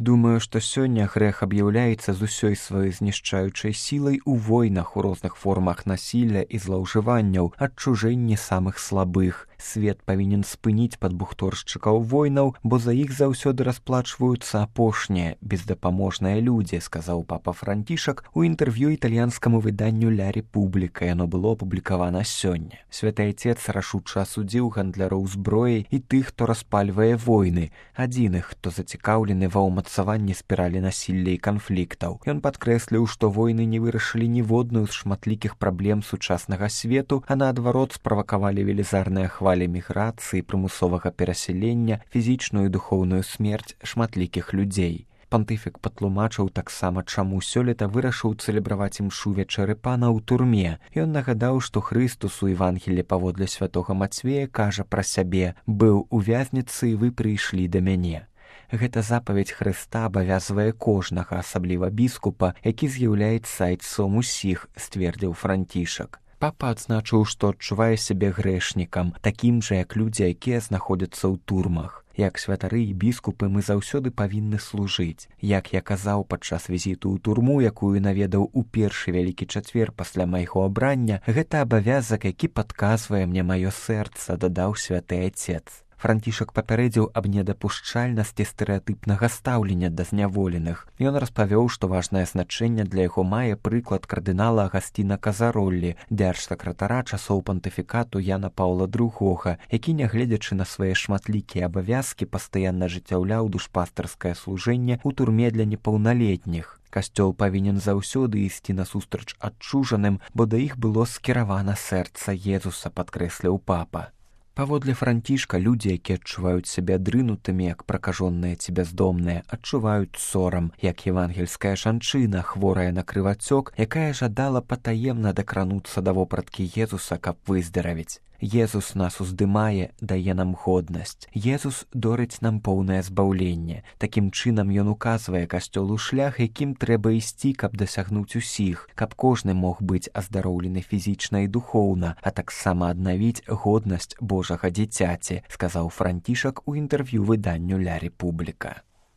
Думаю, што сёння грэх аб'яўляецца з усёй сваёй знішчаючай сілай у войнах, у розных формах насілля і злоўжыванняў, адчужэнні самых слабых. Свет павінен спыніць падбухторшчыкаў войнаў, бо за іх заўсёды расплачваюцца апошнія, бездапаможныя людзі, сказаў папа Францішак у інтэрв'ю італьянскаму выданню «Ля Републіка». Яно было апублікавана сёння. Святы Айцец рашуча асудзіў гандляроў зброяй і тых, хто распальвае войны, адзіных, хто зацікаўлены ва ўмацаванні спіралі насілля і канфліктаў. Ён падкрэсліў, што войны не вырашылі ніводную з шматлікіх праблем сучаснага свету, а наадварот справакавалі велізарныя хвалі міграцыі, прымусовага перасялення, фізічную і духоўную смерць шматлікіх людзей. Пантыфік патлумачыў таксама, чаму сёлета вырашыў цэлебраваць імшу вечары пана ў турме. Ён нагадаў, што Хрыстус у Евангелі паводле святога Мацвея кажа пра сябе: «Быў у вязніцы, і вы прыйшлі да мяне». Гэта запаведь Хрыста абавязвае кожнага, асабліва біскупа, які з'яўляецца айцом усіх, сцвердзіў Францішак. Папа адзначыў, што адчувае сябе грэшнікам, такім жа, як людзі, якія знаходзяцца ў турмах. Як святары і біскупы мы заўсёды павінны служыць. Як я казаў падчас візіту ў турму, якую наведаў у першы вялікі чацвер пасля майго абрання, гэта абавязак, які падказвае мне маё сэрца, дадаў святы Айцец. Францішак папярэдзіў аб недапушчальнасці стэрэатыпнага стаўлення да зняволеных. Ён распавёў, што важнае значэнне для яго мае прыклад кардынала Агасціна Казароллі, дзяржсакратара часоў пантыфікату Яна Паўла II, які, нягледзячы на свае шматлікія абавязкі, пастаянна ажыццяўляў душпастарскае служэнне ў турме для непаўналетніх. Касцёл павінен заўсёды ісці насустрач адчужаным, бо да іх было скіравана сэрца Езуса, падкрэсліў папа. Паводле Францішка, людзі, якія адчуваюць сябе адрынутымі, як пракажоныя ці бяздомныя, адчуваюць сорам, як евангельская жанчына, хворая на крывацёк, якая жадала патаемна дакрануцца да вопраткі Езуса, каб выздаравіць. Езус нас уздымае, дае нам годнасць. Езус дорыць нам поўнае збаўленне. Такім чынам ён указвае касцёлу шлях, якім трэба ісці, каб дасягнуць усіх, каб кожны мог быць аздароўлены фізічна і духоўна, а таксама аднавіць годнасць Божага дзіцяці, сказаў Францішак у інтэрв'ю выданню «Ля Републіка».